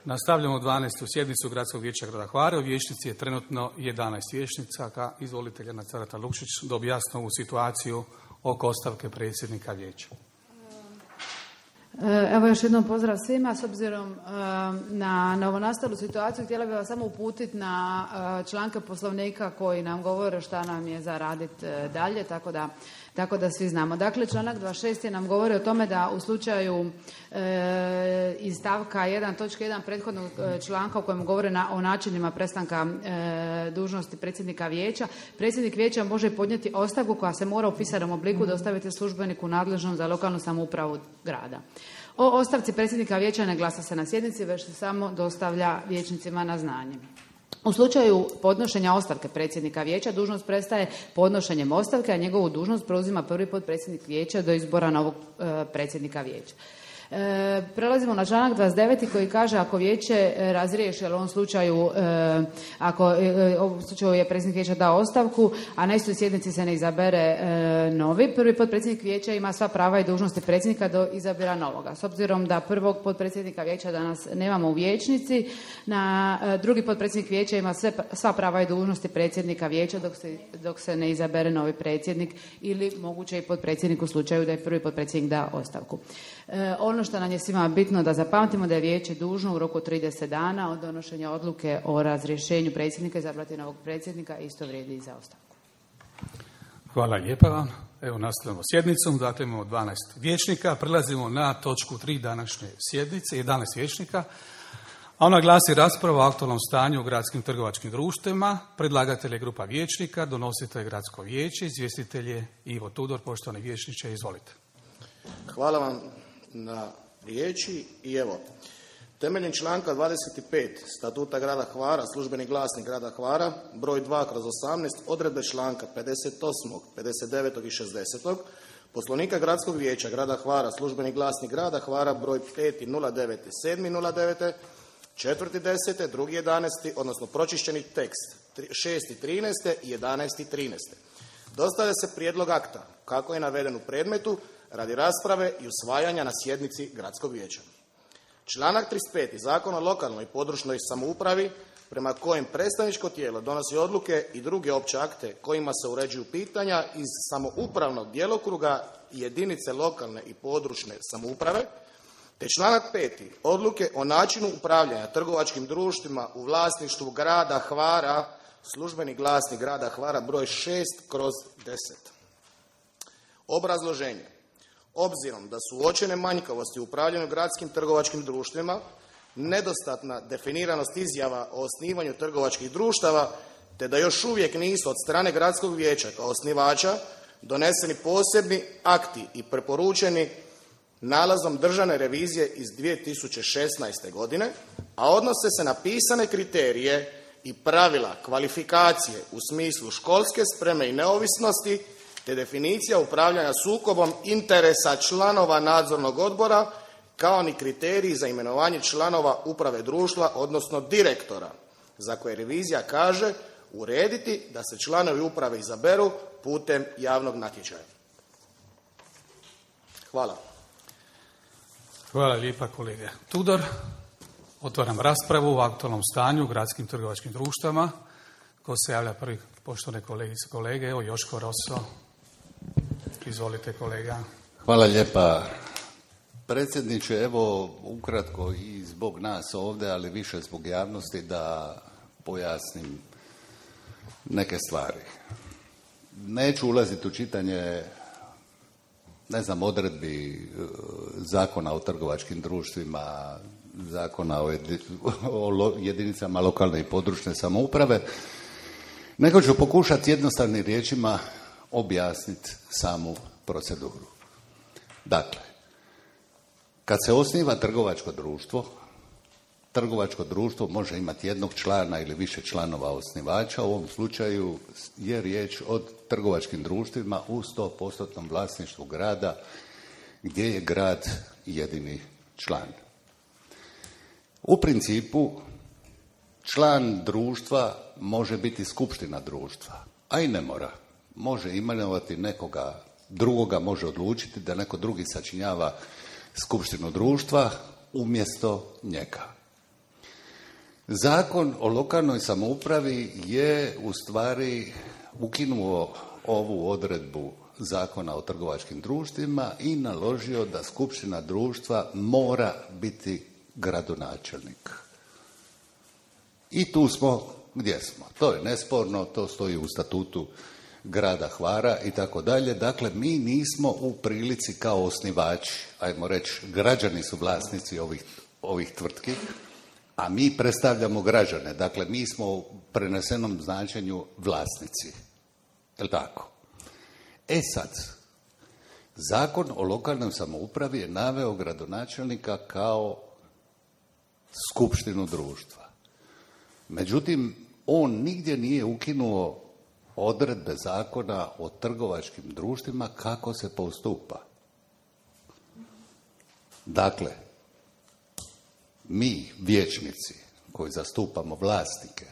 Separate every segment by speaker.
Speaker 1: Nastavljamo 12. sjednicu Gradskog vijeća grada Hvara. U vijećnici je trenutno 11 vijećnica. Izvolite, Ljerna Carata Lukšić, da objasni ovu situaciju oko ostavke predsjednika vijeća.
Speaker 2: Evo još jednom pozdrav svima. S obzirom na novonastalu situaciju, htjela bih vas samo uputiti na članke Poslovnika koji nam govore šta nam je za raditi dalje, tako da svi znamo. Dakle, članak 26. nam govori o tome da u slučaju iz stavka 1. točke 1. prethodnog članka u kojem govore o načinima prestanka dužnosti predsjednika vijeća, predsjednik vijeća može podnijeti ostavku koja se mora u pisanom obliku dostaviti službeniku nadležnom za lokalnu samoupravu grada. O ostavci predsjednika vijeća ne glasa se na sjednici, već se samo dostavlja vijećnicima na znanje. U slučaju podnošenja ostavke predsjednika vijeća, dužnost prestaje podnošenjem ostavke, a njegovu dužnost preuzima prvi potpredsjednik vijeća do izbora novog predsjednika vijeća. Prelazimo na članak 29. koji kaže ako vijeće razriješi, ali u ovom slučaju u slučaju je predsjednik vijeća dao ostavku, a na istoj sjednici se ne izabere novi, prvi potpredsjednik vijeća ima sva prava i dužnosti predsjednika do izabira novoga. S obzirom da prvog potpredsjednika vijeća danas nemamo u vijećnici, drugi potpredsjednik vijeća ima sva prava i dužnosti predsjednika vijeća dok se ne izabere novi predsjednik ili moguće i potpredsjednik u slučaju da je prvi potpredsjednik da ostavku. Ono što nam je svima bitno da zapamtimo da je vijeće dužno u roku 30 dana od donošenja odluke o razrješenju predsjednika izabrati novog predsjednika, isto vrijedi i za ostavku.
Speaker 1: Hvala lijepa vam. Evo nastavljamo sjednicom, dakle imamo 12 vijećnika, prelazimo na točku 3 današnje sjednice, 11 vijećnika, a ona glasi rasprava o aktualnom stanju u gradskim trgovačkim društvima. Predlagatelj je grupa vijećnika, donositelj je gradsko vijeće, izvjestitelj je Ivo Tudor. Poštovani vijećniče, izvolite.
Speaker 3: Hvala vam na riječi i evo, temeljem članka 25 Statuta grada Hvara, službeni glasnik grada Hvara, broj 2/18, odredbe članka 58., 59. i 60. Poslovnika gradskog vijeća grada Hvara, službeni glasnik grada Hvara, broj 5.09. 7.09. 4.10. 2.11. odnosno pročišćeni tekst 6.13. i 11.13. Dostavlja se prijedlog akta kako je naveden u predmetu radi rasprave i usvajanja na sjednici gradskog vijeća. Članak 35. Zakona o lokalnoj i područnoj samoupravi prema kojem predstavničko tijelo donosi odluke i druge opće akte kojima se uređuju pitanja iz samoupravnog djelokruga jedinice lokalne i područne samouprave, te članak 5. Odluke o načinu upravljanja trgovačkim društvima u vlasništvu grada Hvara, službeni glasnik grada Hvara broj 6/10. Obrazloženje. Obzirom da su uočene manjkavosti u upravljanju gradskim trgovačkim društvima, nedostatna definiranost izjava o osnivanju trgovačkih društava, te da još uvijek nisu od strane gradskog vijeća kao osnivača doneseni posebni akti i preporučeni nalazom državne revizije iz 2016. godine, a odnose se na pisane kriterije i pravila kvalifikacije u smislu školske spreme i neovisnosti, te definicija upravljanja sukobom interesa članova nadzornog odbora, kao ni kriteriji za imenovanje članova uprave društva, odnosno direktora, za koje revizija kaže urediti da se članovi uprave izaberu putem javnog natječaja. Hvala.
Speaker 1: Hvala lijepa kolega Tudor. Otvaram raspravu o aktualnom stanju u gradskim trgovačkim društvama. Ko se javlja prvi? Poštovane kolegice i kolege, evo Joško Roso. Izvolite kolega.
Speaker 4: Hvala lijepa predsjedniče. Evo ukratko i zbog nas ovdje, ali više zbog javnosti da pojasnim neke stvari. Neću ulaziti u čitanje odredbi Zakona o trgovačkim društvima, Zakona o jedinicama lokalne i područne samouprave, nego ću pokušati jednostavnim riječima objasniti samu proceduru. Dakle, kad se osniva trgovačko društvo može imati jednog člana ili više članova osnivača. U ovom slučaju je riječ o trgovačkim društvima u 100% vlasništvu grada, gdje je grad jedini član. U principu, član društva može biti skupština društva, a i ne mora. Može imenovati nekoga drugoga, može odlučiti da neko drugi sačinjava skupštinu društva umjesto njega. Zakon o lokalnoj samoupravi je u stvari ukinuo ovu odredbu Zakona o trgovačkim društvima i naložio da skupština društva mora biti gradonačelnik. I tu smo gdje smo. To je nesporno, to stoji u statutu grada Hvara i tako dalje. Dakle, mi nismo u prilici kao osnivači, ajmo reći, građani su vlasnici ovih tvrtki, a mi predstavljamo građane. Dakle, mi smo u prenesenom značenju vlasnici. Je li tako? E sad, Zakon o lokalnoj samoupravi je naveo gradonačelnika kao skupštinu društva. Međutim, on nigdje nije ukinuo odredbe Zakona o trgovačkim društvima kako se postupa. Dakle, mi, vijećnici koji zastupamo vlasnike,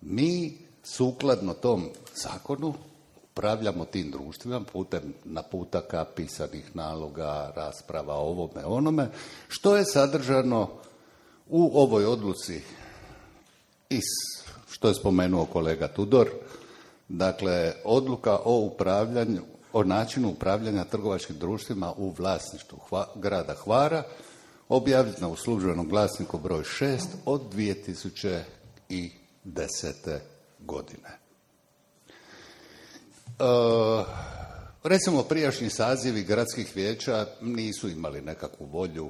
Speaker 4: mi sukladno tom zakonu upravljamo tim društvima putem naputaka, pisanih naloga, rasprava o ovome, onome, što je sadržano u ovoj odluci što je spomenuo kolega Tudor, dakle, odluka o načinu upravljanja trgovačkim društvima u vlasništvu grada Hvara, objavljena u službenom glasniku broj 6 od 2010. godine. Recimo, prijašnji sazivi gradskih vijeća nisu imali nekakvu volju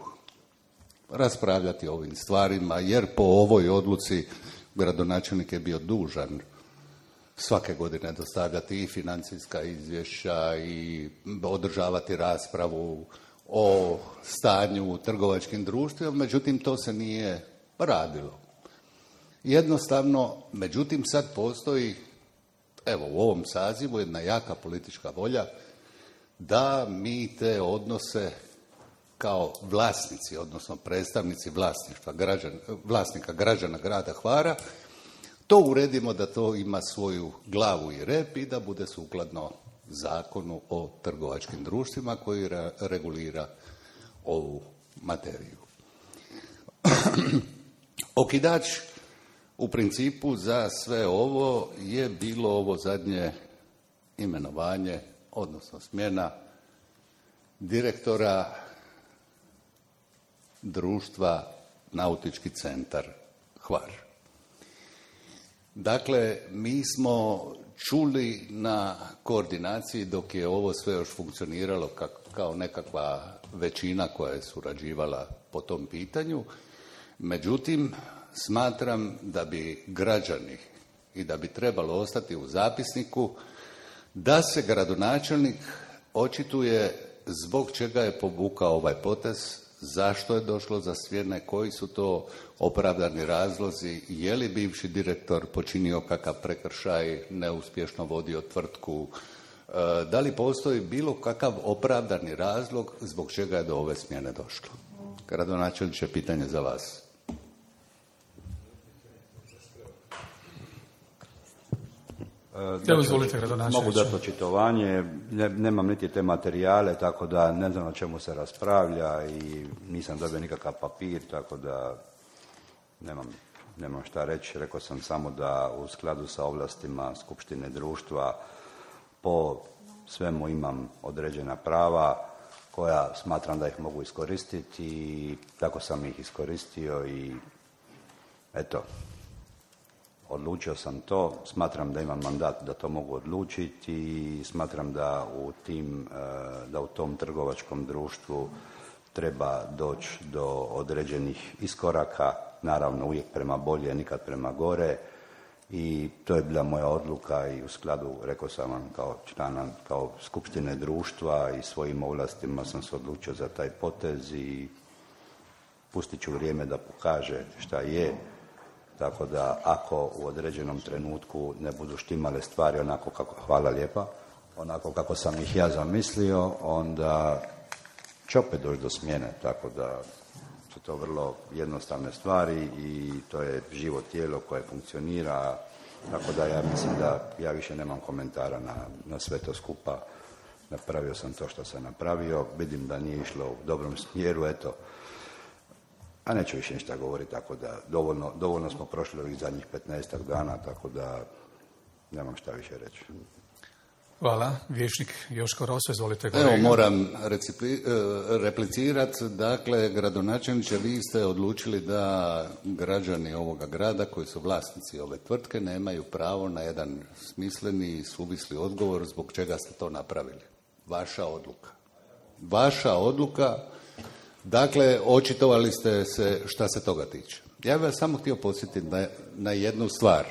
Speaker 4: raspravljati o ovim stvarima, jer po ovoj odluci gradonačelnik je bio dužan svake godine dostavljati i financijska izvješća i održavati raspravu o stanju u trgovačkim društvima, međutim to se nije radilo. Jednostavno, međutim sad postoji, evo u ovom sazivu, jedna jaka politička volja da mi te odnose kao vlasnici, odnosno predstavnici vlasnika građana grada Hvara, to uredimo da to ima svoju glavu i rep i da bude sukladno Zakonu o trgovačkim društvima koji regulira ovu materiju. Okidač u principu za sve ovo je bilo ovo zadnje imenovanje, odnosno smjena direktora društva Nautički centar Hvar. Dakle, mi smo čuli na koordinaciji dok je ovo sve još funkcioniralo kao nekakva većina koja je surađivala po tom pitanju. Međutim, smatram da bi građani i da bi trebalo ostati u zapisniku da se gradonačelnik očituje zbog čega je povukao ovaj potez, zašto je došlo za smjene, koji su to opravdani razlozi, je li bivši direktor počinio kakav prekršaj, neuspješno vodio tvrtku, da li postoji bilo kakav opravdani razlog zbog čega je do ove smjene došlo. Gradonačelniče, pitanje za vas.
Speaker 5: Mogu dati očitovanje, nemam niti te materijale, tako da ne znam o čemu se raspravlja i nisam dobio nikakav papir, tako da nemam šta reći. Rekao sam samo da u skladu sa ovlastima skupštine društva po svemu imam određena prava koja smatram da ih mogu iskoristiti i tako sam ih iskoristio i eto. Odlučio sam to, smatram da imam mandat da to mogu odlučiti i smatram da u tom trgovačkom društvu treba doći do određenih iskoraka, naravno uvijek prema bolje, nikad prema gore i to je bila moja odluka i u skladu, rekao sam vam kao člana, kao skupštine društva i svojim ovlastima sam se odlučio za taj potez i pustit ću vrijeme da pokaže šta je. Tako da ako u određenom trenutku ne budu štimale stvari hvala lijepa, onako kako sam ih ja zamislio, onda će opet doći do smjene, tako da su to vrlo jednostavne stvari i to je živo tijelo koje funkcionira, tako da ja mislim da ja više nemam komentara na sve to skupa. Napravio sam to što sam napravio, vidim da nije išlo u dobrom smjeru, eto. A neću više ništa govoriti, tako da dovoljno smo prošli ovih zadnjih 15 dana, tako da nemam šta više reći.
Speaker 1: Hvala. Vijećnik Joško Roso, izvolite kolega.
Speaker 4: Evo, moram replicirati. Dakle, gradonačelniče, vi ste odlučili da građani ovoga grada koji su vlasnici ove tvrtke nemaju pravo na jedan smisleni i suvisli odgovor zbog čega ste to napravili. Vaša odluka. Vaša odluka. Dakle, očitovali ste se šta se toga tiče. Ja bih vas samo htio podsjetiti na jednu stvar.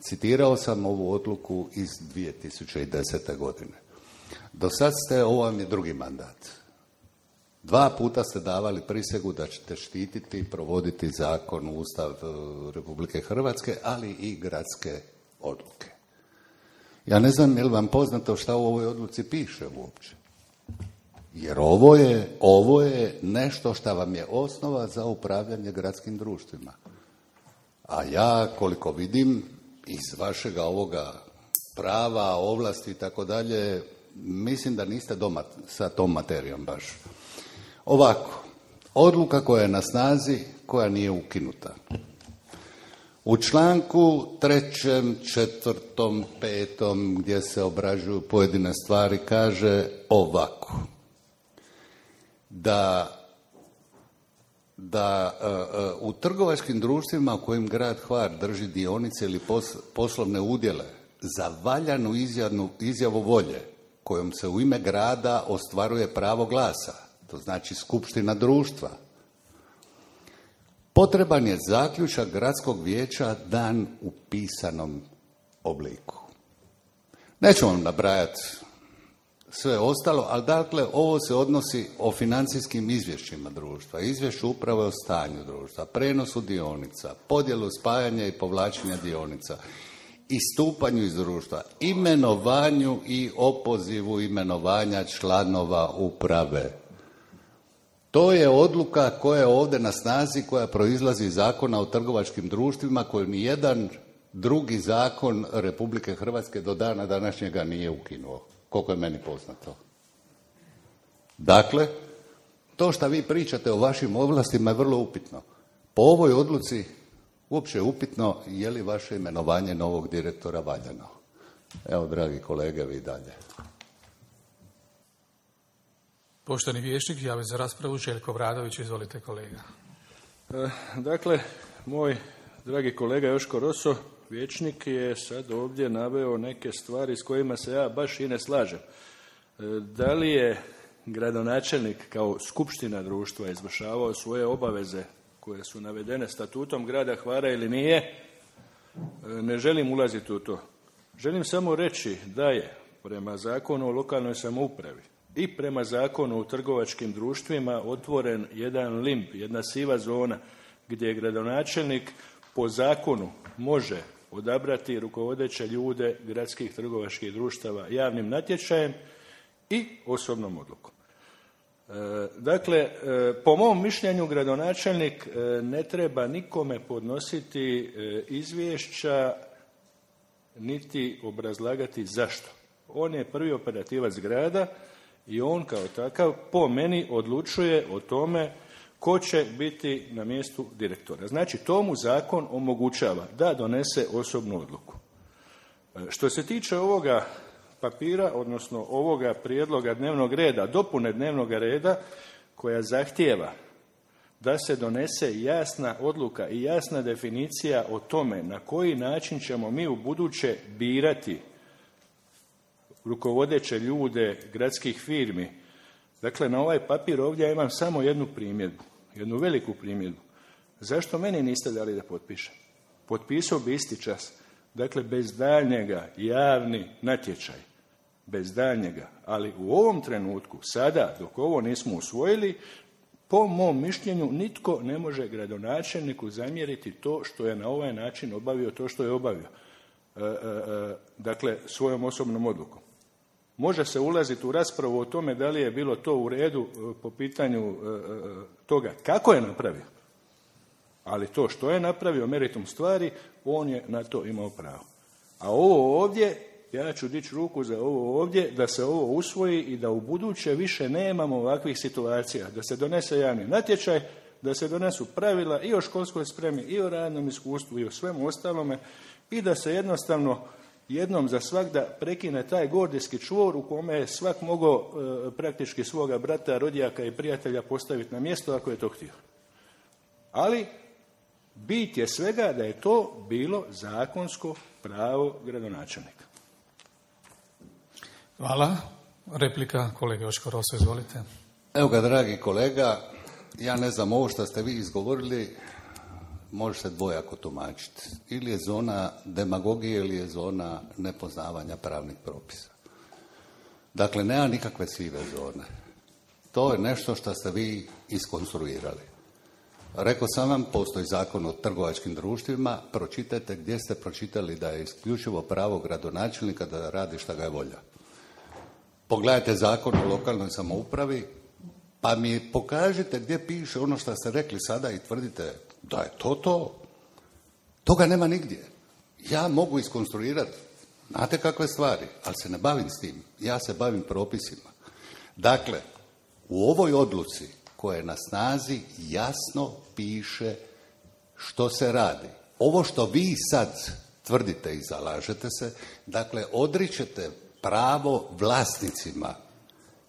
Speaker 4: Citirao sam ovu odluku iz 2010. godine. Do sad ovo vam je drugi mandat. 2 puta ste davali prisegu da ćete štititi i provoditi zakon, Ustav Republike Hrvatske, ali i gradske odluke. Ja ne znam je li vam poznato šta u ovoj odluci piše uopće. Jer ovo je nešto što vam je osnova za upravljanje gradskim društvima. A ja, koliko vidim, iz vašega ovoga prava, ovlasti i tako dalje, mislim da niste doma sa tom materijom baš. Ovako, odluka koja je na snazi, koja nije ukinuta. U članku 3., 4., 5. gdje se obrađuju pojedine stvari kaže ovako. Da u trgovačkim društvima u kojim grad Hvar drži dionice ili poslovne udjele za valjanu izjavu volje kojom se u ime grada ostvaruje pravo glasa, to znači skupština društva, potreban je zaključak gradskog vijeća dan u pisanom obliku. Neću vam nabrajati sve ostalo, ali dakle ovo se odnosi o financijskim izvješćima društva, izvješću uprave o stanju društva, prenosu dionica, podjelu spajanja i povlačenja dionica, istupanju iz društva, imenovanju i opozivu imenovanja članova uprave. To je odluka koja je ovdje na snazi, koja proizlazi iz Zakona o trgovačkim društvima koju nijedan drugi zakon Republike Hrvatske do dana današnjega nije ukinuo, koliko je meni poznato. Dakle, to što vi pričate o vašim ovlastima je vrlo upitno. Po ovoj odluci uopće je upitno je li vaše imenovanje novog direktora valjano. Evo, dragi kolege, vi dalje.
Speaker 1: Poštovani vijećnik, javio za raspravu Željko Obradović, izvolite kolega.
Speaker 6: Dakle, moj dragi kolega Joško Roso, vijećnik, je sad ovdje naveo neke stvari s kojima se ja baš i ne slažem. Da li je gradonačelnik kao skupština društva izvršavao svoje obaveze koje su navedene statutom grada Hvara ili nije, ne želim ulaziti u to. Želim samo reći da je prema Zakonu o lokalnoj samoupravi i prema Zakonu o trgovačkim društvima otvoren jedan limb, jedna siva zona gdje gradonačelnik po zakonu može odabrati rukovodeće ljude gradskih trgovačkih društava javnim natječajem i osobnom odlukom. Dakle, po mom mišljenju gradonačelnik ne treba nikome podnositi izvješća niti obrazlagati zašto. On je prvi operativac grada i on kao takav po meni odlučuje o tome ko će biti na mjestu direktora. Znači, to mu zakon omogućava da donese osobnu odluku. Što se tiče ovoga papira, odnosno ovoga prijedloga dnevnog reda, dopune dnevnog reda koja zahtijeva da se donese jasna odluka i jasna definicija o tome na koji način ćemo mi u buduće birati rukovodeće ljude gradskih firmi. Dakle, na ovaj papir ovdje ja imam samo jednu primjedbu, jednu veliku primjedbu. Zašto meni niste dali da potpišem? Potpisao bi isti čas. Dakle, bez daljnjega javni natječaj. Bez daljnjega. Ali u ovom trenutku, sada, dok ovo nismo usvojili, po mom mišljenju nitko ne može gradonačelniku zamjeriti to što je na ovaj način obavio to što je obavio. Dakle, svojom osobnom odlukom. Može se ulaziti u raspravu o tome da li je bilo to u redu po pitanju toga kako je napravio. Ali to što je napravio, meritum stvari, on je na to imao pravo. A ovo ovdje ja ću dići ruku za ovo ovdje, da se ovo usvoji i da u buduće više nemamo ovakvih situacija, da se donese javni natječaj, da se donesu pravila i o školskoj spremi, i o radnom iskustvu, i o svemu ostalome, i da se jednostavno jednom za svagda prekine taj gordijski čvor u kome je svak mogao praktički svoga brata, rodijaka i prijatelja postaviti na mjesto ako je to htio. Ali bit je svega da je to bilo zakonsko pravo gradonačelnika.
Speaker 1: Hvala. Replika kolega Joško Roso, izvolite.
Speaker 4: Evo ga, dragi kolega, ja ne znam, ovo što ste vi izgovorili može se dvojako tumačiti. Ili je zona demagogije ili je zona nepoznavanja pravnih propisa. Dakle, nema nikakve sive zone. To je nešto što ste vi iskonstruirali. Rekao sam vam, postoji zakon o trgovačkim društvima, pročitajte gdje ste pročitali da je isključivo pravo gradonačelnika da radi šta ga je volja. Pogledajte zakon o lokalnoj samoupravi, pa mi pokažite gdje piše ono što ste rekli sada i tvrdite da je to. Toga nema nigdje. Ja mogu iskonstruirati, znate kakve stvari, ali se ne bavim s tim. Ja se bavim propisima. Dakle, u ovoj odluci koja je na snazi jasno piše što se radi. Ovo što vi sad tvrdite i zalažete se, dakle, odričete pravo vlasnicima,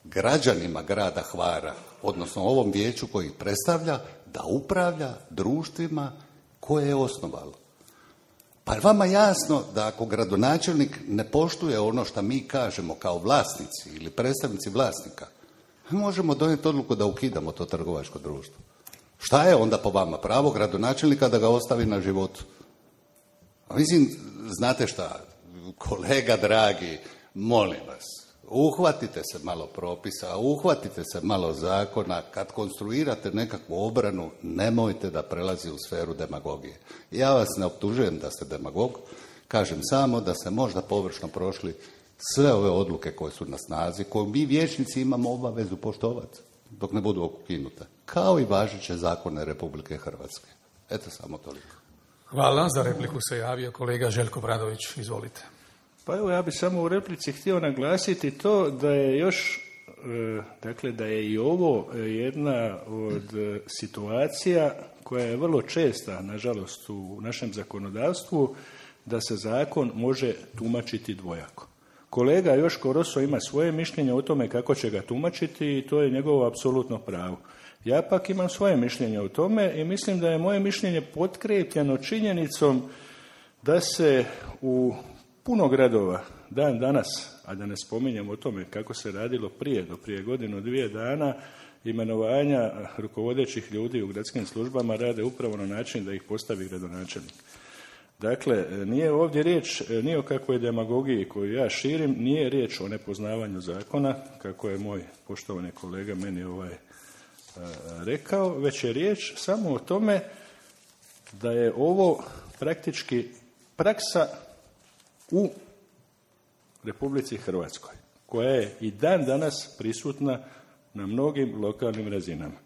Speaker 4: građanima grada Hvara, odnosno ovom vijeću koji ih predstavlja, da upravlja društvima koje je osnovalo. Pa je vama jasno da ako gradonačelnik ne poštuje ono što mi kažemo kao vlasnici ili predstavnici vlasnika, možemo donijeti odluku da ukidamo to trgovačko društvo. Šta je onda po vama pravo gradonačelnika da ga ostavi na životu? A mislim, znate šta, kolega dragi, molim vas, uhvatite se malo propisa, uhvatite se malo zakona, kad konstruirate nekakvu obranu, nemojte da prelazi u sferu demagogije. Ja vas ne optužujem da ste demagog, kažem samo da ste možda površno prošli sve ove odluke koje su na snazi, koje mi vijećnici imamo obavezu poštovati dok ne budu ukinute, kao i važeće zakone Republike Hrvatske. Eto, samo toliko.
Speaker 1: Hvala. Za repliku se javio kolega Željko Bradović. Izvolite.
Speaker 6: Pa evo, ja bih samo u replici htio naglasiti to da je još, dakle, da je i ovo jedna od situacija koja je vrlo česta, nažalost, u našem zakonodavstvu, da se zakon može tumačiti dvojako. Kolega Joško Roso ima svoje mišljenje o tome kako će ga tumačiti i to je njegovo apsolutno pravo. Ja pak imam svoje mišljenje o tome i mislim da je moje mišljenje potkrepljeno činjenicom da se u puno gradova dan danas, a da ne spominjem o tome kako se radilo do prije godinu, 2 dana, imenovanja rukovodećih ljudi u gradskim službama rade upravo na način da ih postavi gradonačelnik. Dakle, nije ovdje riječ ni o kakvoj demagogiji koju ja širim, nije riječ o nepoznavanju zakona, kako je moj poštovani kolega meni rekao, već je riječ samo o tome da je ovo praktički praksa u Republici Hrvatskoj, koja je i dan danas prisutna na mnogim lokalnim razinama.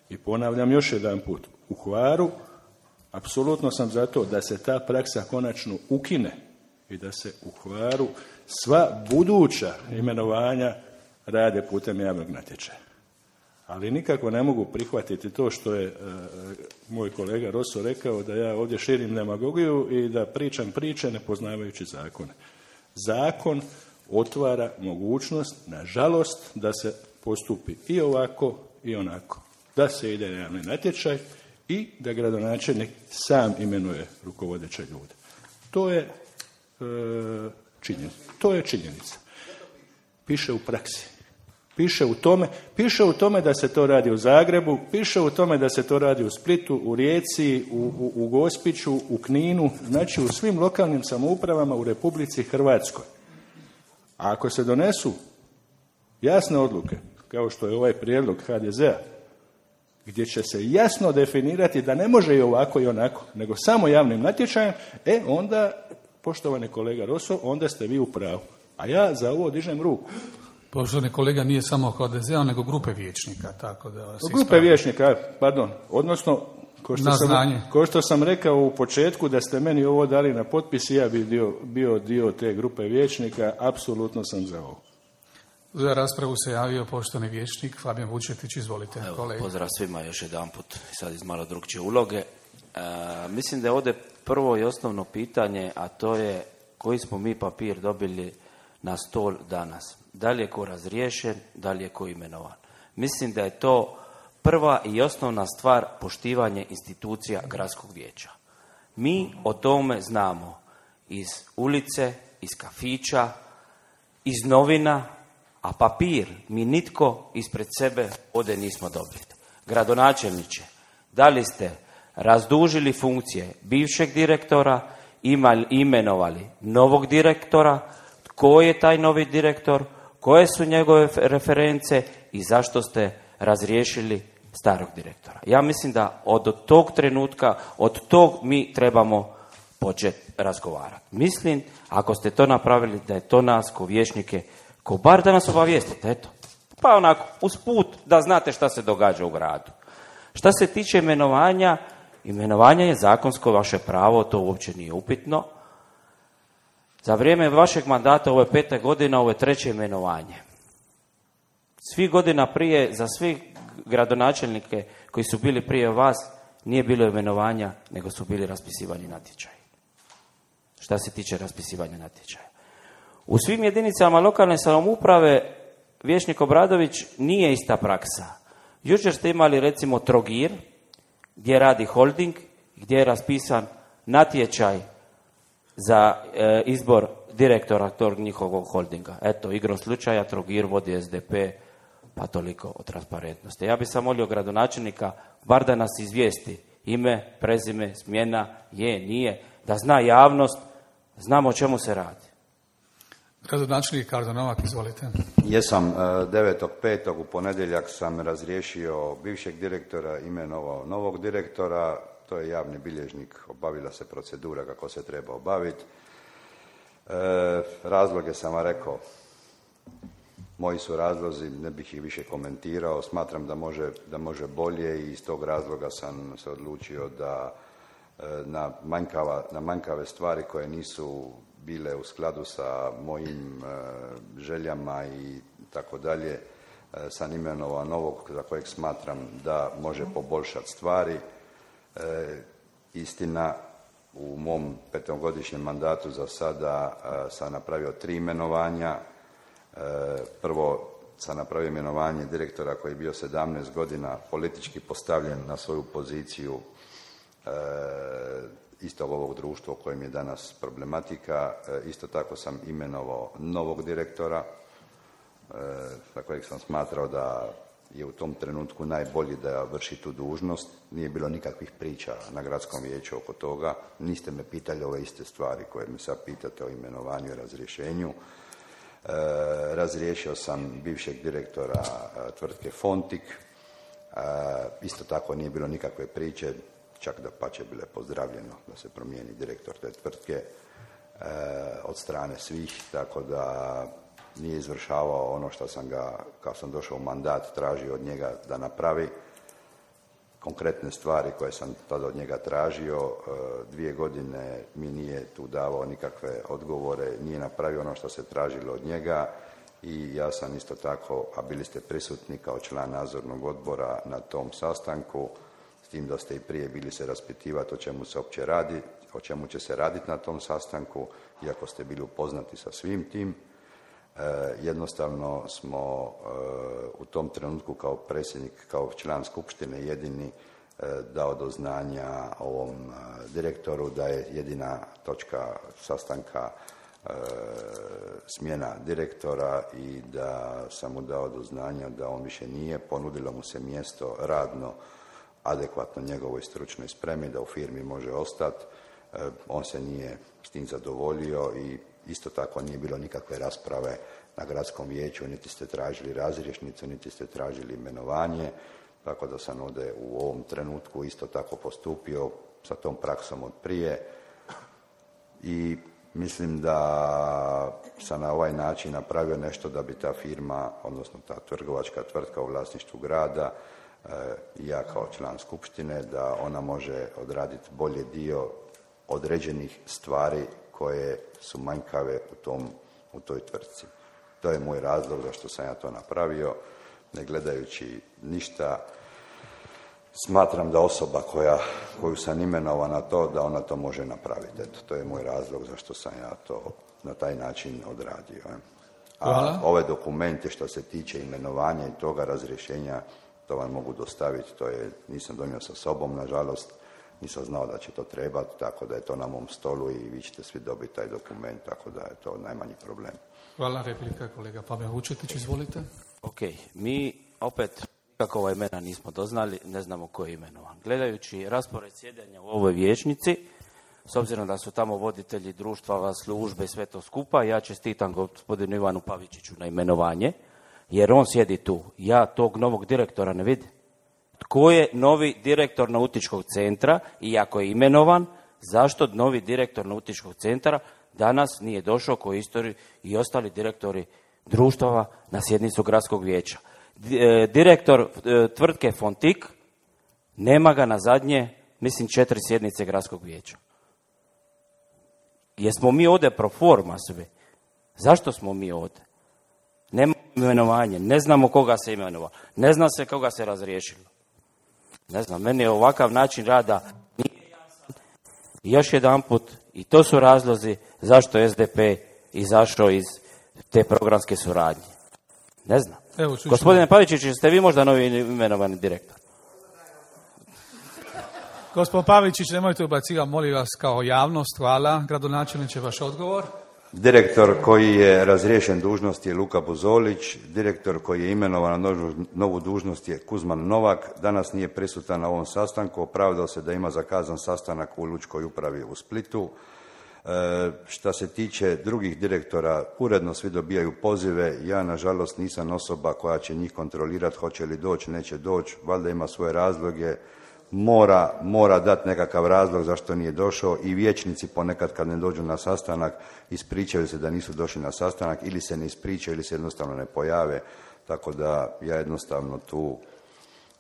Speaker 6: I ponavljam još jedan put, u Hvaru apsolutno sam za to da se ta praksa konačno ukine i da se u Hvaru sva buduća imenovanja rade putem javnog natječaja. Ali nikako ne mogu prihvatiti to što je moj kolega Roso rekao, da ja ovdje širim demagogiju i da pričam priče ne poznavajući zakone. Zakon otvara mogućnost, nažalost, da se postupi i ovako i onako. Da se ide na javni natječaj i da gradonačelnik sam imenuje rukovodeće ljude. To je činjenica. To je činjenica. Piše u praksi. Piše u tome da se to radi u Zagrebu, piše u tome da se to radi u Splitu, u Rijeci, u Gospiću, u Kninu, znači u svim lokalnim samoupravama u Republici Hrvatskoj. A ako se donesu jasne odluke, kao što je ovaj prijedlog HDZ-a, gdje će se jasno definirati da ne može i ovako i onako, nego samo javnim natječajem, onda, poštovani kolega Roso, onda ste vi u pravu. A ja za ovo dižem ruku.
Speaker 1: Poštovani kolega, nije samo HDZ-a, nego grupe vijećnika, tako da vas
Speaker 6: grupe vijećnika, pardon, odnosno Ko što sam rekao u početku da ste meni ovo dali na potpis, ja bi bio dio te grupe vijećnika, apsolutno sam za ovo.
Speaker 1: Za raspravu se javio poštovani vijećnik Fabijan Vučetić, izvolite.
Speaker 7: Pozdrav svima još jedanput, sad iz malo drugčije uloge. Mislim da je ovdje prvo i osnovno pitanje, a to je koji smo mi papir dobili na stol danas. Da li je ko razriješen, da li je ko imenovan. Mislim da je to prva i osnovna stvar poštivanje institucija gradskog vijeća. Mi o tome znamo iz ulice, iz kafića, iz novina, a papir mi nitko ispred sebe ovdje nismo dobili. Gradonačelniče, da li ste razdužili funkcije bivšeg direktora, imenovali novog direktora, tko je taj novi direktor, koje su njegove reference i zašto ste razriješili starog direktora. Ja mislim da od tog trenutka, od tog mi trebamo početi razgovarati. Mislim, ako ste to napravili, da je to nas ko vijećnike, ko bar da nas obavijestite, eto. Pa onako, usput da znate šta se događa u gradu. Šta se tiče imenovanja, imenovanje je zakonsko vaše pravo, to uopće nije upitno. Za vrijeme vašeg mandata, ovo je 5. godina, ovo je 3. imenovanje. Svih godina prije, za svi gradonačelnike koji su bili prije vas, nije bilo imenovanja, nego su bili raspisivani natječaji. Šta se tiče raspisivanja natječaja. U svim jedinicama lokalne samouprave, vijećnik Obradović, nije ista praksa. Jučer ste imali recimo Trogir, gdje radi holding, gdje je raspisan natječaj za izbor direktora tog njihovog holdinga. Eto, igrom slučaja Trogir vodi SDP, pa toliko o transparentnosti. Ja bih sam molio gradonačelnika, bar da nas izvijesti ime, prezime, smjena, je, nije, da zna javnost, znamo o čemu se radi.
Speaker 1: Gradonačelnik Kardo Novak, izvolite.
Speaker 5: Jesam, 9.5. u ponedjeljak sam razriješio bivšeg direktora, imenovao novog direktora, to je javni bilježnik, obavila se procedura kako se treba obaviti. Razloge sam vam rekao, moji su razlozi, ne bih ih više komentirao, smatram da može bolje i iz tog razloga sam se odlučio da na manjkave stvari koje nisu bile u skladu sa mojim željama i tako dalje, sam imenovao novog za kojeg smatram da može poboljšati stvari. Istina, u mom 5-godišnjem mandatu za sada sam napravio 3 imenovanja. Prvo sam napravio imenovanje direktora koji je bio 17 godina politički postavljen na svoju poziciju istog ovog društva u kojem je danas problematika. Isto tako sam imenovao novog direktora za kojeg sam smatrao da je u tom trenutku najbolji da vrši tu dužnost. Nije bilo nikakvih priča na gradskom vijeću oko toga. Niste me pitali ove iste stvari koje me sad pitate o imenovanju i razrješenju. Razriješio sam bivšeg direktora tvrtke Fontik. Isto tako nije bilo nikakve priče, čak da pače bile pozdravljeno da se promijeni direktor te tvrtke od strane svih, tako da nije izvršavao ono što sam ga, kao sam došao u mandat, tražio od njega da napravi. Konkretne stvari koje sam tada od njega tražio, 2 godine mi nije tu davao nikakve odgovore, nije napravio ono što se tražilo od njega i ja sam isto tako, a bili ste prisutni kao član nadzornog odbora na tom sastanku, s tim da ste i prije bili se raspitivati o čemu se uopće radi, o čemu će se raditi na tom sastanku, iako ste bili upoznati sa svim tim. Jednostavno smo u tom trenutku kao predsjednik, kao član skupštine jedini dao do znanja ovom direktoru da je jedina točka sastanka smjena direktora i da sam mu dao do znanja da on više nije, ponudilo mu se mjesto radno adekvatno njegovoj stručnoj spremi da u firmi može ostati. On se nije s tim zadovoljio i isto tako nije bilo nikakve rasprave na gradskom vijeću, niti ste tražili razrješnicu, niti ste tražili imenovanje, tako da sam ovdje u ovom trenutku isto tako postupio sa tom praksom od prije i mislim da sam na ovaj način napravio nešto da bi ta firma, odnosno ta trgovačka tvrtka u vlasništvu grada, ja kao član skupštine, da ona može odraditi bolje dio određenih stvari koje su manjkave u toj tvrtci. To je moj razlog zašto sam ja to napravio, ne gledajući ništa. Smatram da osoba koju sam imenovao na to, da ona to može napraviti. Eto, to je moj razlog zašto sam ja to na taj način odradio. A ove dokumente što se tiče imenovanja i toga razrješenja, to vam mogu dostaviti, nisam donio sa sobom, nažalost, nisam znao da će to trebati, tako da je to na mom stolu i vi ćete svi dobiti taj dokument, tako da je to najmanji problem.
Speaker 1: Hvala, replika kolega Pavel Vučetić, izvolite.
Speaker 7: Ok, mi opet kako imena nismo doznali, ne znamo ko je imenovan. Gledajući raspored sjedenja u ovoj vijećnici, s obzirom da su tamo voditelji društva, službe i sve to skupa, ja čestitam gospodinu Ivanu Pavičiću na imenovanje, jer on sjedi tu. Ja tog novog direktora ne vidim. Tko je novi direktor Nautičkog centra i ako je imenovan, zašto novi direktor Nautičkog centra danas nije došao koji istori i ostali direktori društava na sjednicu gradskog vijeća? Direktor tvrtke Fontik, nema ga na zadnje, mislim 4 sjednice gradskog vijeća. Jesmo mi ovdje pro forma svi? Zašto smo mi ovdje? Nema imenovanje, ne znamo koga se imenovao, ne zna se koga se razriješilo. Ne znam, meni je ovakav način rada nije jasan. I još jedanput, i to su razlozi zašto SDP izašao iz te programske suradnje. Ne znam.
Speaker 1: Evo,
Speaker 7: gospodine Pavičić, ste vi možda novi imenovani direktor?
Speaker 1: Gospodin Pavičić, nemojte ubacivati, molim vas, kao javnost. Hvala. Gradonačelniče, vaš odgovor.
Speaker 5: Direktor koji je razriješen dužnosti je Luka Buzolić, direktor koji je imenovan na novu dužnost je Kuzman Novak, danas nije prisutan na ovom sastanku, opravdao se da ima zakazan sastanak u Lučkoj upravi u Splitu. Što se tiče drugih direktora, uredno svi dobijaju pozive, ja nažalost nisam osoba koja će njih kontrolirati, hoće li doći, neće doći, valjda ima svoje razloge, mora dati nekakav razlog zašto nije došao i vijećnici ponekad kad ne dođu na sastanak ispričaju se da nisu došli na sastanak ili se ne ispričaju ili se jednostavno ne pojave, tako da ja jednostavno tu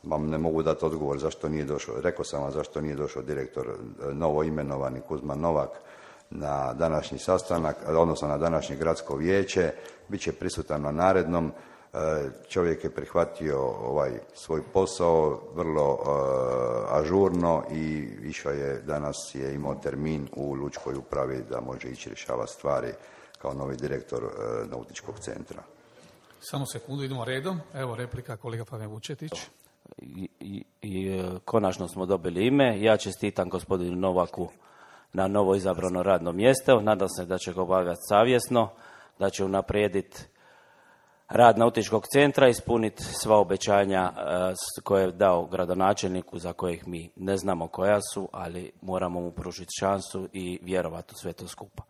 Speaker 5: vam ne mogu dati odgovor zašto nije došao. Rekao sam vam zašto nije došao direktor novo imenovani Kuzman Novak na današnji sastanak, odnosno na današnje gradsko vijeće, bit će prisutan na narednom. Čovjek je prihvatio svoj posao vrlo ažurno i išao je, danas je imao termin u Lučkoj upravi da može ići rješavati stvari kao novi direktor Nautičkog centra.
Speaker 1: Samo sekundu, idemo redom. Evo replika kolega Pavel Vučetić.
Speaker 7: I konačno smo dobili ime. Ja čestitam gospodinu Novaku na novo izabrano radno mjesto. Nadam se da će ga obavljati savjesno, da će unaprijediti rad Nautičkog centra, ispuniti sva obećanja koje je dao gradonačelniku, za kojih mi ne znamo koja su, ali moramo mu pružiti šansu i vjerovati u sve to skupa.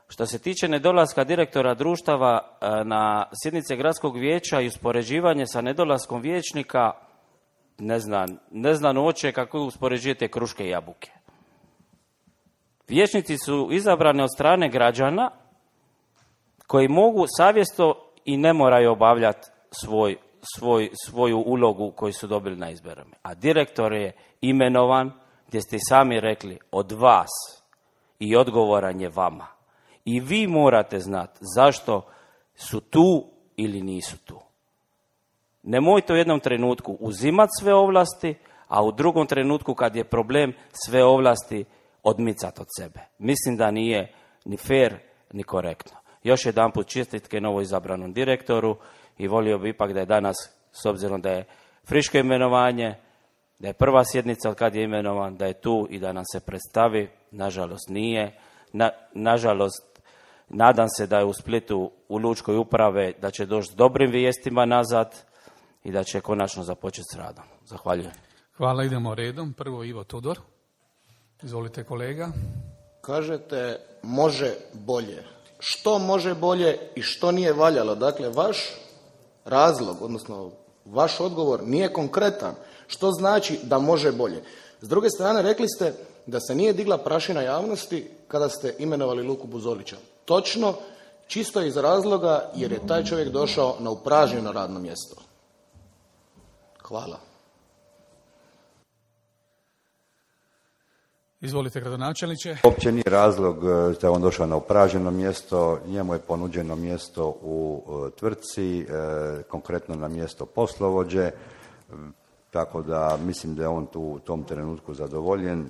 Speaker 7: Što se tiče nedolaska direktora društava na sjednice gradskog vijeća i uspoređivanje sa nedolaskom vijećnika, ne znam uopće kako uspoređujete kruške i jabuke. Vijećnici su izabrani od strane građana koji mogu savjesno i ne moraju obavljati svoju ulogu koju su dobili na izborima. A direktor je imenovan, gdje ste i sami rekli, od vas i odgovoran je vama. I vi morate znati zašto su tu ili nisu tu. Nemojte u jednom trenutku uzimati sve ovlasti, a u drugom trenutku kad je problem sve ovlasti odmicati od sebe. Mislim da nije ni fair ni korektno. Još jedanput čestitke novo izabranom direktoru i volio bi ipak da je danas, s obzirom da je friško imenovanje, da je prva sjednica od kad je imenovan, da je tu i da nam se predstavi. Nažalost nije. Nažalost, nadam se da je u Splitu u Lučkoj uprave, da će doći s dobrim vijestima nazad i da će konačno započeti s radom. Zahvaljujem.
Speaker 1: Hvala, idemo redom. Prvo Ivo Tudor. Izvolite kolega.
Speaker 3: Kažete može bolje. Što može bolje i što nije valjalo? Dakle, vaš razlog, odnosno vaš odgovor nije konkretan. Što znači da može bolje? S druge strane, rekli ste da se nije digla prašina javnosti kada ste imenovali Luku Buzolića. Točno, čisto iz razloga jer je taj čovjek došao na upražnjeno radno mjesto. Hvala.
Speaker 1: Izvolite, gradonačelniče.
Speaker 5: Uopće nije razlog da je on došao na upražnjeno mjesto, njemu je ponuđeno mjesto u tvrtci, konkretno na mjesto poslovođe, tako da mislim da je on tu u tom trenutku zadovoljen.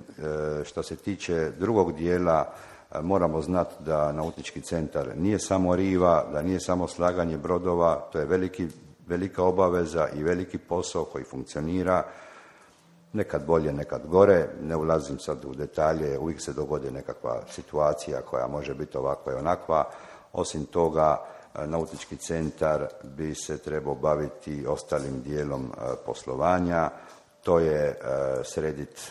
Speaker 5: Što se tiče drugog dijela, moramo znati da nautički centar nije samo riva, da nije samo slaganje brodova, to je velika obaveza i veliki posao koji funkcionira, nekad bolje, nekad gore, ne ulazim sad u detalje, uvijek se dogodi nekakva situacija koja može biti ovakva i onakva. Osim toga, nautički centar bi se trebao baviti ostalim dijelom poslovanja, to je srediti,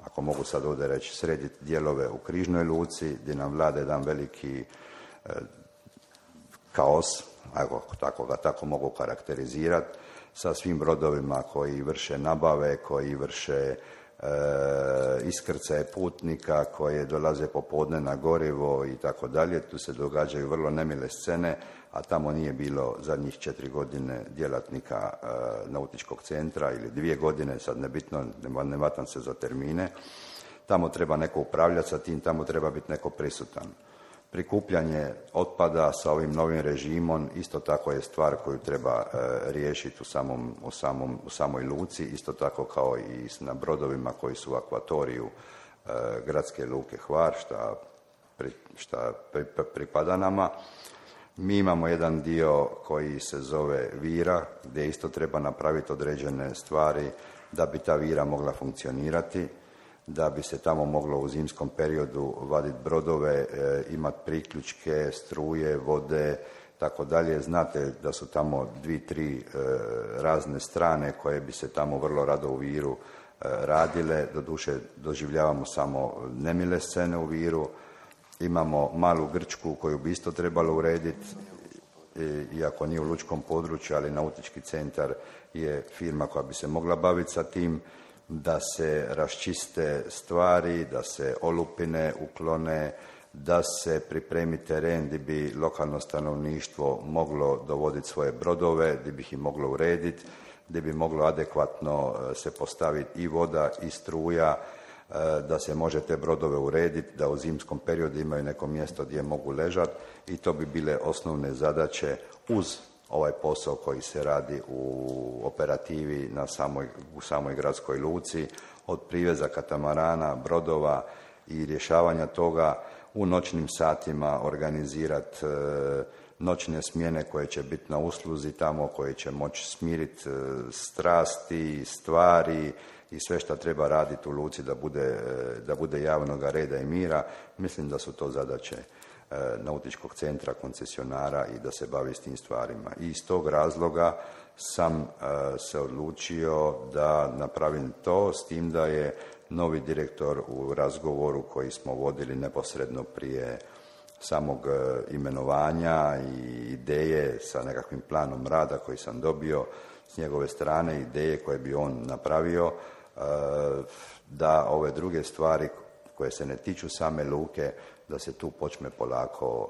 Speaker 5: ako mogu sad ovdje reći, srediti dijelove u Križnoj luci, gdje nam vlada jedan veliki kaos, ako tako mogu karakterizirati, sa svim brodovima koji vrše nabave, koji vrše iskrcaje putnika, koje dolaze popodne na gorivo i tako dalje. Tu se događaju vrlo nemile scene, a tamo nije bilo zadnjih 4 godine djelatnika nautičkog centra ili 2 godine, sad nebitno, ne vatam se za termine. Tamo treba neko upravljati sa tim, tamo treba biti neko prisutan. Prikupljanje otpada sa ovim novim režimom isto tako je stvar koju treba riješiti u samoj luci, isto tako kao i na brodovima koji su u akvatoriju gradske luke Hvar, šta pripada nama. Mi imamo jedan dio koji se zove Vira, gdje isto treba napraviti određene stvari da bi ta Vira mogla funkcionirati, da bi se tamo moglo u zimskom periodu vaditi brodove, imati priključke, struje, vode, tako dalje. Znate da su tamo 2-3 razne strane koje bi se tamo vrlo rado u Viru radile. Doduše doživljavamo samo nemile scene u Viru. Imamo malu Grčku koju bi isto trebalo urediti, iako nije u lučkom području, ali nautički centar je firma koja bi se mogla baviti sa tim, da se raščiste stvari, da se olupine uklone, da se pripremi teren gdje bi lokalno stanovništvo moglo dovoditi svoje brodove, gdje bi ih moglo urediti, gdje bi moglo adekvatno se postaviti i voda i struja, da se može te brodove urediti, da u zimskom periodu imaju neko mjesto gdje mogu ležati i to bi bile osnovne zadaće uz ovaj posao koji se radi u operativi u samoj gradskoj luci, od priveza katamarana, brodova i rješavanja toga, u noćnim satima organizirati noćne smjene koje će biti na usluzi tamo, koje će moći smiriti strasti, stvari i sve što treba raditi u luci da bude javnog reda i mira. Mislim da su to zadaće nautičkog centra, koncesionara i da se bavi s tim stvarima. I iz tog razloga sam se odlučio da napravim to, s tim da je novi direktor u razgovoru koji smo vodili neposredno prije samog imenovanja i ideje sa nekakvim planom rada koji sam dobio s njegove strane, ideje koje bi on napravio, da ove druge stvari koje se ne tiču same luke, da se tu počne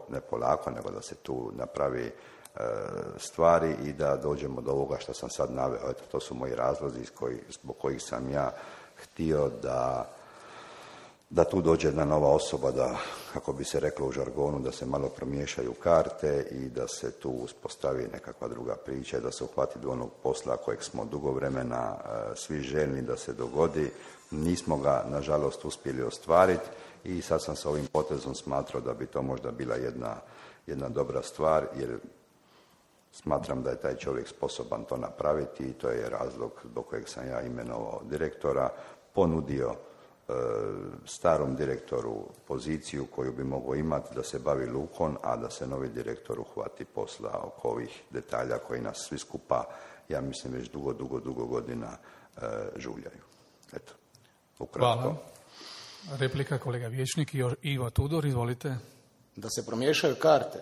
Speaker 5: ne polako, nego da se tu napravi stvari i da dođemo do ovoga što sam sad naveo. Eto, to su moji razlozi zbog kojih sam ja htio da tu dođe jedna nova osoba, da, kako bi se reklo u žargonu, da se malo promiješaju karte i da se tu uspostavi nekakva druga priča i da se uhvati do onog posla kojeg smo dugo vremena svi željni da se dogodi. Nismo ga, nažalost, uspjeli ostvariti i sad sam sa ovim potezom smatrao da bi to možda bila jedna dobra stvar, jer smatram da je taj čovjek sposoban to napraviti i to je razlog zbog kojeg sam ja imenovao direktora, ponudio starom direktoru poziciju koju bi mogao imati da se bavi lukom, a da se novi direktor uhvati posla oko ovih detalja koji nas svi skupa, ja mislim, već dugo godina žuljaju. Eto, ukratko.
Speaker 1: Hvala. Replika, kolega vijećnik Ivo Tudor, izvolite.
Speaker 3: Da se promiješaju karte.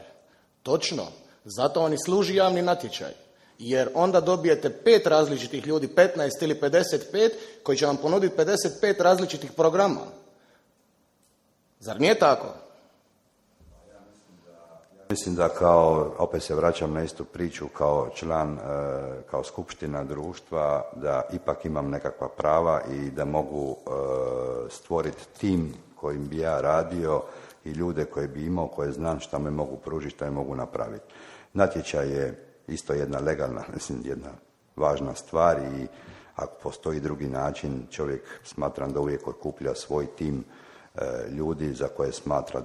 Speaker 3: Točno. Zato vam i služi javni natječaj. Jer onda dobijete 5 različitih ljudi, 15 ili 55, koji će vam ponuditi 55 različitih programa. Zar nije tako?
Speaker 5: Mislim da opet se vraćam na istu priču, kao član, kao skupština društva, da ipak imam nekakva prava i da mogu stvoriti tim kojim bi ja radio i ljude koje bi imao, koje znam šta me mogu pružiti, šta me mogu napraviti. Natječaj je isto jedna legalna, jedna važna stvar i ako postoji drugi način, čovjek smatram da uvijek okuplja svoj tim ljudi za koje smatra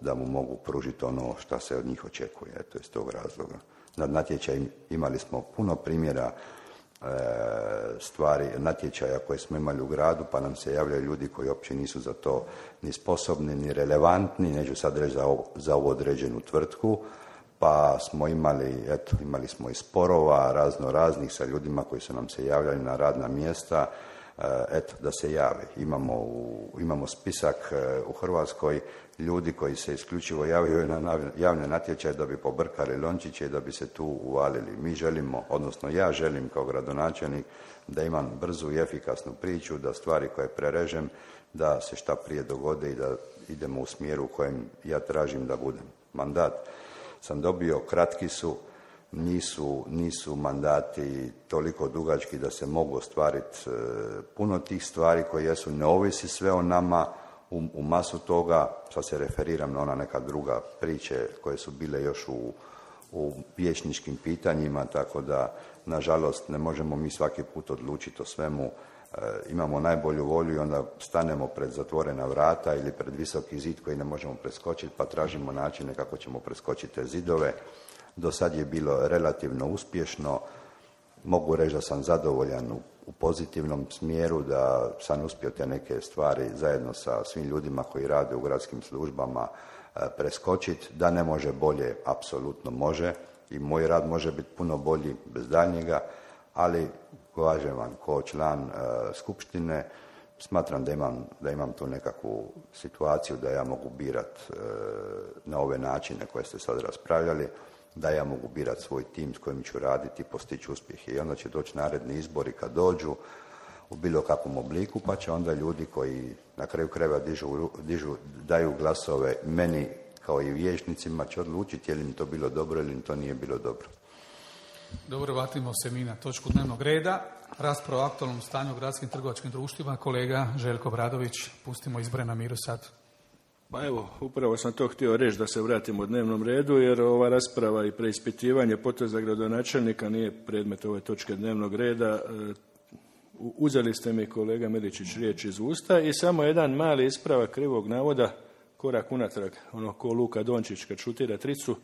Speaker 5: da mu mogu pružiti ono što se od njih očekuje. Eto, iz tog razloga. Na natječaju imali smo puno primjera stvari, natječaja koje smo imali u gradu, pa nam se javljaju ljudi koji uopće nisu za to ni sposobni, ni relevantni, neću sad reći za ovu određenu tvrtku, pa smo imali smo i sporova raznih sa ljudima koji su nam se javljali na radna mjesta, da se jave. Imamo spisak u Hrvatskoj ljudi koji se isključivo javljaju na javne natječaje da bi pobrkali lončiće i da bi se tu uvalili. Mi želimo, odnosno ja želim kao gradonačelnik da imam brzu i efikasnu priču, da stvari koje prerežem, da se šta prije dogode i da idemo u smjeru u kojem ja tražim da budem. Mandat sam dobio, kratki su, nisu mandati toliko dugački da se mogu ostvariti puno tih stvari koje jesu, ne ovisi sve o nama, u masu toga, sad se referiram na ona neka druga priče koje su bile još u vijećničkim pitanjima, tako da, nažalost, ne možemo mi svaki put odlučiti o svemu. Imamo najbolju volju i onda stanemo pred zatvorena vrata ili pred visoki zid koji ne možemo preskočiti, pa tražimo načine kako ćemo preskočiti te zidove. Do sad je bilo relativno uspješno. Mogu reći da sam zadovoljan u pozitivnom smjeru, da sam uspio te neke stvari zajedno sa svim ljudima koji rade u gradskim službama preskočiti. Da ne može bolje, apsolutno može i moj rad može biti puno bolji bez daljnjega, ali kažem vam, kao član skupštine smatram da imam tu nekakvu situaciju da ja mogu birati na ove načine koje ste sad raspravljali, da ja mogu birati svoj tim s kojim ću raditi i postići uspjehe. I onda će doći naredni izbori kad dođu u bilo kakvom obliku, pa će onda ljudi koji na kraju krajeva daju glasove meni kao i vijećnicima će odlučiti je li im to bilo dobro ili im to nije bilo dobro.
Speaker 1: Dobro, vratimo se mi na točku dnevnog reda. Rasprava o aktualnom stanju u gradskim trgovačkim društvima. Kolega Željko Bradović, pustimo izbore na miru sad.
Speaker 6: Pa evo, upravo sam to htio reći da se vratimo u dnevnom redu, jer ova rasprava i preispitivanje poteza gradonačelnika nije predmet ove točke dnevnog reda. Uzeli ste mi, kolega Miličić, riječ iz usta i samo jedan mali ispravak krivog navoda, korak unatrag, ono ko Luka Dončić kad šutira tricu.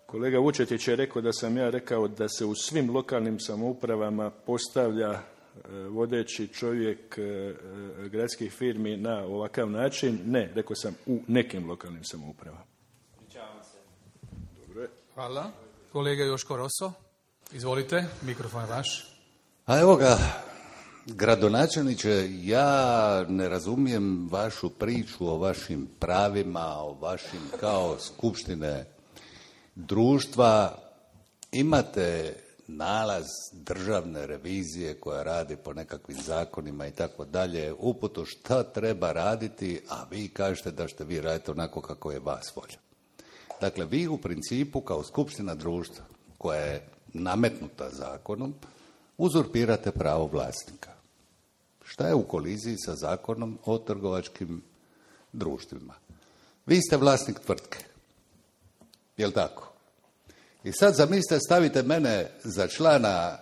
Speaker 6: Kolega Vučetić je rekao da sam ja rekao da se u svim lokalnim samoupravama postavlja vodeći čovjek gradskih firmi na ovakav način. Ne, rekao sam u nekim lokalnim samoupravama. Dobro je.
Speaker 1: Hvala. Kolega Joško Roso, izvolite, mikrofon je vaš.
Speaker 4: A evo ga, gradonačelniče, ja ne razumijem vašu priču o vašim pravima, o vašim kao skupštine društva. Imate nalaz državne revizije koja radi po nekakvim zakonima i tako dalje, uputu šta treba raditi, a vi kažete da ćete vi raditi onako kako je vas volja. Dakle, vi u principu kao skupština društva koja je nametnuta zakonom, uzurpirate pravo vlasnika. Šta je u koliziji sa zakonom o trgovačkim društvima? Vi ste vlasnik tvrtke. Jel' tako? I sad zamislite, stavite mene za člana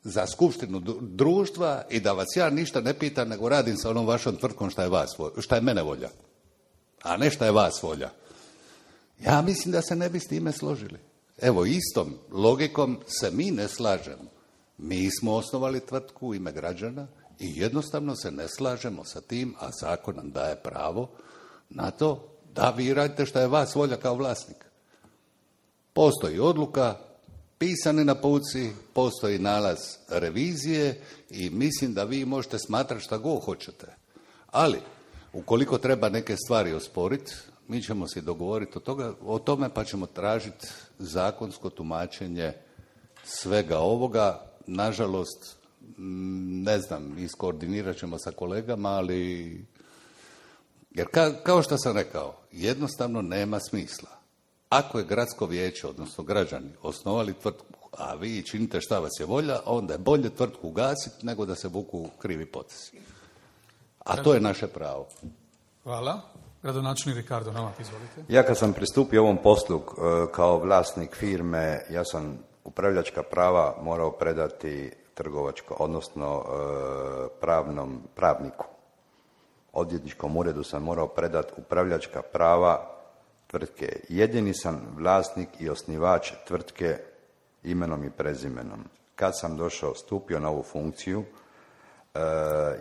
Speaker 4: za skupštinu društva i da vas ja ništa ne pitam, nego radim sa onom vašom tvrtkom šta je mene volja, a ne šta je vas volja. Ja mislim da se ne bi s time složili. Evo, istom logikom se mi ne slažemo. Mi smo osnovali tvrtku u ime građana i jednostavno se ne slažemo sa tim, a zakon nam daje pravo na to da vi radite šta je vas volja kao vlasnik. Postoji odluka, pisani na puci, postoji nalaz revizije i mislim da vi možete smatrati šta god hoćete. Ali, ukoliko treba neke stvari osporiti, mi ćemo se dogovoriti o tome pa ćemo tražiti zakonsko tumačenje svega ovoga. Nažalost, ne znam, iskoordinirat ćemo sa kolegama, ali jer kao što sam rekao, jednostavno nema smisla. Ako je gradsko vijeće, odnosno građani, osnovali tvrtku, a vi činite šta vas je volja, onda je bolje tvrtku ugasiti nego da se vuku krivi potezi. A to je naše pravo.
Speaker 1: Hvala. Gradonačelnik Ricardo Novak, izvolite.
Speaker 5: Ja kad sam pristupio ovom poslu kao vlasnik firme, ja sam upravljačka prava morao predati trgovačko, odnosno pravniku. Odvjetničkom uredu sam morao predati upravljačka prava tvrtke. Jedini sam vlasnik i osnivač tvrtke imenom i prezimenom. Kad sam stupio na ovu funkciju,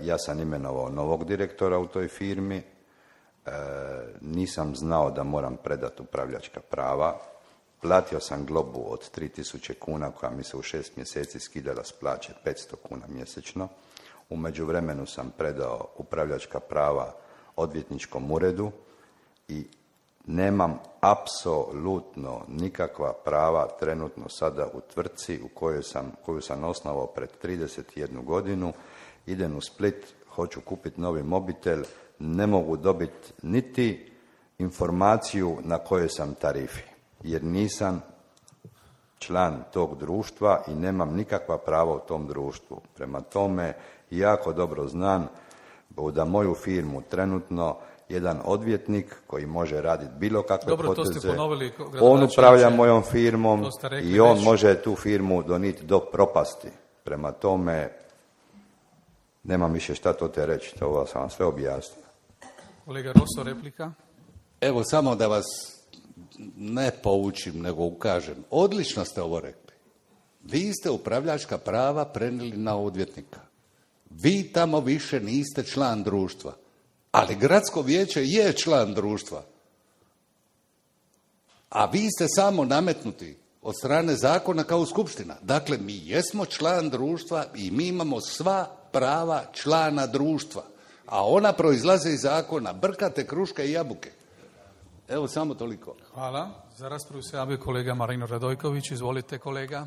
Speaker 5: ja sam imenovao novog direktora u toj firmi, nisam znao da moram predati upravljačka prava, platio sam globu od 3000 kuna koja mi se u 6 mjeseci skidala s plaće 500 kuna mjesečno. U međuvremenu sam predao upravljačka prava odvjetničkom uredu i nemam apsolutno nikakva prava trenutno sada u tvrtci koju sam osnovao pred 31 godinu. Idem u Split, hoću kupiti novi mobitel, ne mogu dobiti niti informaciju na kojoj sam tarifi, jer nisam član tog društva i nemam nikakva prava u tom društvu. Prema tome, jako dobro znam da moju firmu trenutno jedan odvjetnik koji može raditi bilo kakve poteze, on upravlja mojom firmom i on može tu firmu doniti do propasti. Prema tome, nemam više šta to te reći, to sam vam sve objasnio.
Speaker 1: Kolega Rosso, replika.
Speaker 4: Evo, samo da vas ne poučim, nego ukažem. Odlično ste ovo rekli. Vi ste upravljačka prava prenijeli na odvjetnika. Vi tamo više niste član društva. Ali gradsko vijeće je član društva. A vi ste samo nametnuti od strane zakona kao skupština. Dakle, mi jesmo član društva i mi imamo sva prava člana društva. A ona proizlaze iz zakona. Brkate kruške i jabuke. Evo, samo toliko.
Speaker 1: Hvala. Za raspravu se javio kolega Marino Radojković. Izvolite, kolega.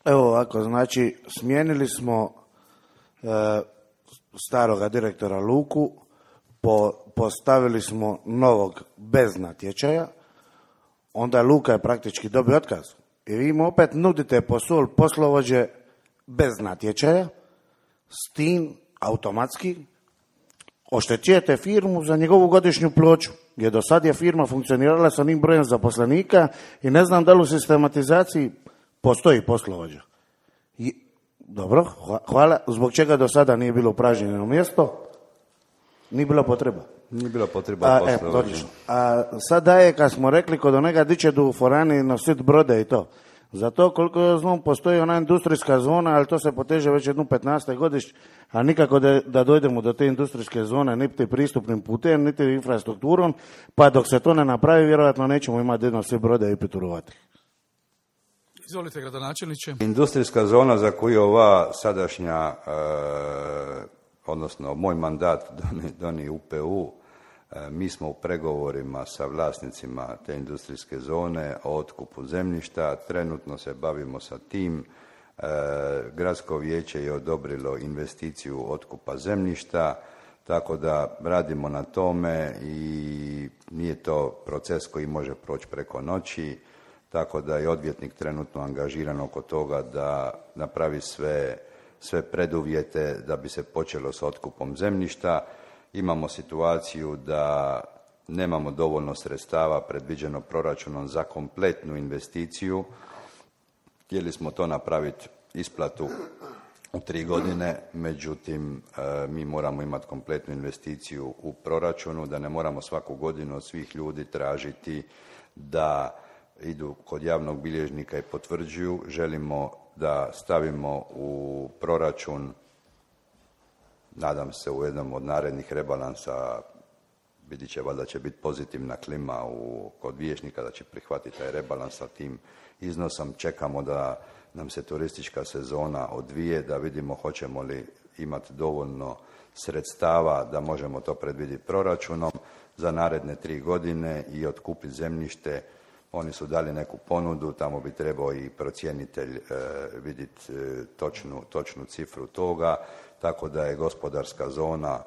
Speaker 8: Evo ovako, znači, smijenili smo staroga direktora Luku, postavili smo novog bez natječaja, onda Luka je praktički dobio otkaz. I vi mu opet nudite poslovođe bez natječaja, s tim automatski oštećujete firmu za njegovu godišnju plaću, jer do sad je firma funkcionirala sa onim brojem zaposlenika i ne znam da li u sistematizaciji postoji poslovođa. Dobro, hvala. Zbog čega do sada nije bilo upražnjeno mjesto? Nije bila potreba.
Speaker 5: Nije bila potreba poslovođa.
Speaker 8: A sada je, kad smo rekli, kod onega diće do u forani nosit brode i to. Zato, koliko ja znam, postoji ona industrijska zona, ali to se poteže već jednu 15. godišnje, a nikako da dojdemo do te industrijske zone, niti pristupnim putem, niti infrastrukturom, pa dok se to ne napravi, vjerojatno nećemo imati jedno svi brode i piturovati.
Speaker 1: Izvolite, gradonačelniče.
Speaker 5: Industrijska zona za koju ova sadašnja, odnosno moj mandat doni UPU, mi smo u pregovorima sa vlasnicima te industrijske zone o otkupu zemljišta, trenutno se bavimo sa tim. Gradsko vijeće je odobrilo investiciju otkupa zemljišta, tako da radimo na tome i nije to proces koji može proći preko noći, tako da je odvjetnik trenutno angažiran oko toga da napravi sve preduvjete da bi se počelo s otkupom zemljišta. Imamo situaciju da nemamo dovoljno sredstava predviđeno proračunom za kompletnu investiciju. Htjeli smo to napraviti isplatu u 3 godine, međutim mi moramo imati kompletnu investiciju u proračunu, da ne moramo svaku godinu od svih ljudi tražiti da idu kod javnog bilježnika i potvrđuju. Želimo da stavimo u proračun, nadam se u jednom od narednih rebalansa, vidit će, valjda će biti pozitivna klima kod vijećnika da će prihvatiti taj rebalans sa tim iznosom. Čekamo da nam se turistička sezona odvije, da vidimo hoćemo li imati dovoljno sredstava da možemo to predvidjeti proračunom za naredne 3 godine i otkupiti zemljište. Oni su dali neku ponudu, tamo bi trebao i procjenitelj vidjeti točnu cifru toga, tako da je gospodarska zona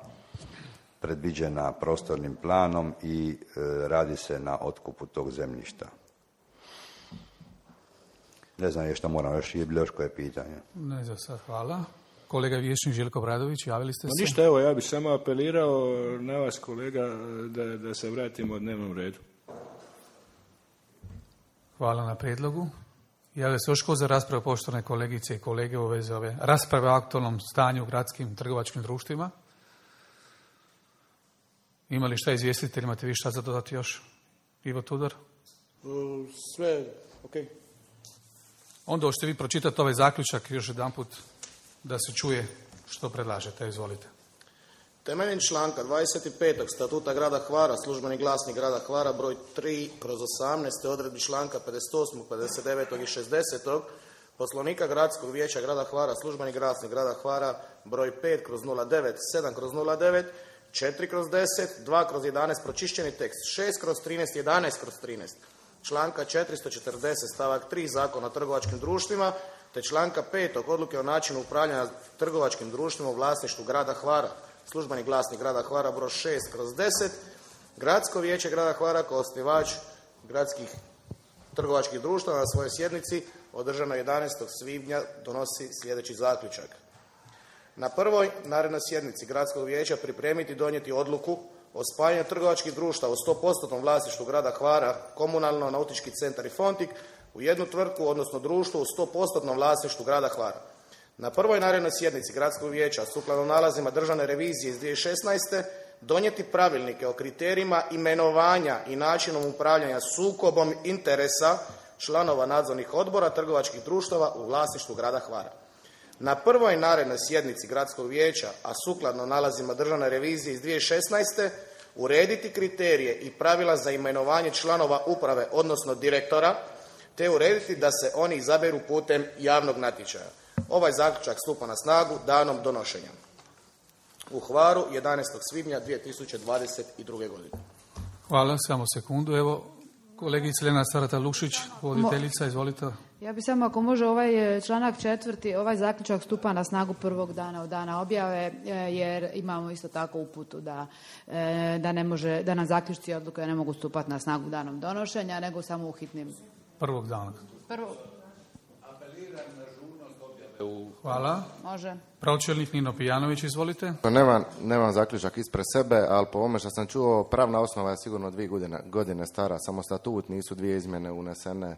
Speaker 5: predviđena prostornim planom i radi se na otkupu tog zemljišta. Ne znam što moram još, je bilo još koje pitanje.
Speaker 1: Ne za sad, hvala. kolega vijećnik Željko Bradović, javili ste se?
Speaker 6: Ništa, evo, ja bih samo apelirao na vas, kolega, da se vratimo dnevnom redu.
Speaker 1: Hvala na prijedlogu. Javlja se još ko za raspravu, poštovane kolegice i kolege, u vezi ove rasprave o aktualnom stanju u gradskim trgovačkim društvima? Ima li šta izvjestitelj, imate vi šta za dodati još? Ivo Tudor?
Speaker 3: Sve, ok.
Speaker 1: Onda hoćete vi pročitati ovaj zaključak još jedanput da se čuje što predlažete. Izvolite.
Speaker 3: Temeljem članka 25. Statuta grada Hvara, službeni glasnik grada Hvara, broj 3/18, odredbi članka 58., 59. i 60. Poslovnika gradskog vijeća grada Hvara, službeni glasnik grada Hvara, broj 5/09, 7/09, 4/10, 2/11, pročišćeni tekst, 6/13, 11/13, članka 440 stavak 3 Zakona o trgovačkim društvima, te članka 5. Odluke o načinu upravljanja trgovačkim društvima u vlasništvu grada Hvara, službeni glasnik grada Hvara, broj 6/10, Gradsko vijeće grada Hvara kao osnivač gradskih trgovačkih društava na svojoj sjednici održanoj 11. svibnja donosi sljedeći zaključak. Na prvoj narednoj sjednici Gradskog vijeća pripremiti i donijeti odluku o spajanju trgovačkih društava u 100% vlasništvu grada Hvara, komunalno, nautički centar i Fontik u jednu tvrtku, odnosno društvo u 100% vlasništvu grada Hvara. Na prvoj narednoj sjednici Gradskog vijeća, sukladno nalazima državne revizije iz 2016. donijeti pravilnike o kriterijima imenovanja i načinom upravljanja sukobom interesa članova nadzornih odbora trgovačkih društava u vlasništvu grada Hvara. Na prvoj narednoj sjednici Gradskog vijeća, a sukladno nalazima državne revizije iz 2016. urediti kriterije i pravila za imenovanje članova uprave, odnosno direktora, te urediti da se oni izaberu putem javnog natječaja. Ovaj zaključak stupa na snagu danom donošenja. U Hvaru 11. svibnja 2022. godine.
Speaker 1: Hvala, samo sekundu. Evo, kolegica Lena Sarata-Lušić, voditeljica, izvolite.
Speaker 2: Ja bi samo, ako može, ovaj članak 4. ovaj zaključak stupa na snagu prvog dana od dana objave, jer imamo isto tako uputu da ne može, da nam zaključci i odluke ne mogu stupati na snagu danom donošenja, nego samo u hitnim.
Speaker 1: Prvog dana. Hvala.
Speaker 2: Može.
Speaker 1: Pročelnik Nino Pijanović, izvolite.
Speaker 9: Nemam zaključak ispred sebe, ali po ovome što sam čuo, pravna osnova je sigurno 2 godine stara, samo statut, nisu 2 izmjene unesene.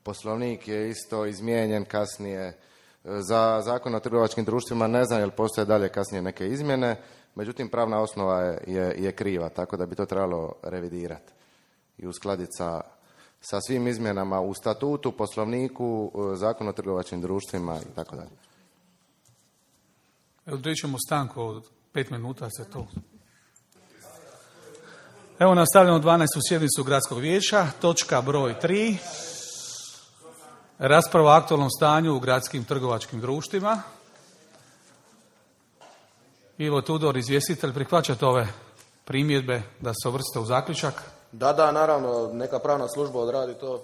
Speaker 9: Poslovnik je isto izmijenjen kasnije. Za Zakon o trgovačkim društvima ne znam jel postoje dalje kasnije neke izmjene, međutim pravna osnova je kriva, tako da bi to trebalo revidirati i uskladiti sa svim izmjenama u statutu, poslovniku, Zakonu o trgovačkim društvima i tako dalje.
Speaker 1: Odreći ćemo stanku od 5 minuta se to. Evo nastavljamo 12. sjednicu Gradskog vijeća, točka broj 3. Rasprava o aktualnom stanju u gradskim trgovačkim društvima. Ivo Tudor, izvjestitelj, prihvaćate ove primjedbe da se uvrste u zaključak?
Speaker 3: Da, naravno, neka pravna služba odradi to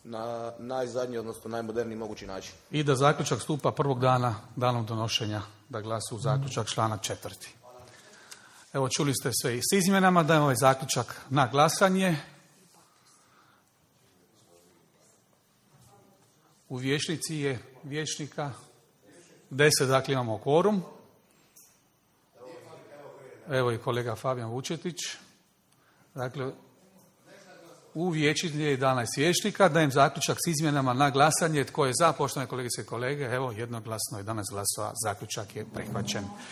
Speaker 3: na najzadnji, odnosno najmoderniji mogući način.
Speaker 1: I da zaključak stupa prvog dana, danom donošenja, da glasi u zaključak članak 4. Evo, čuli ste sve s izmjenama, dajem ovaj zaključak na glasanje. U vijećnici je vijećnika 10, dakle imamo kvorum. Evo i kolega Fabijan Vučetić. Dakle, u vijećnici je 11 vijećnika. Dajem zaključak s izmjenama na glasanje. Tko je za, poštovane kolegice i kolege? Evo, jednoglasno 11 glasova. Zaključak je prihvaćen.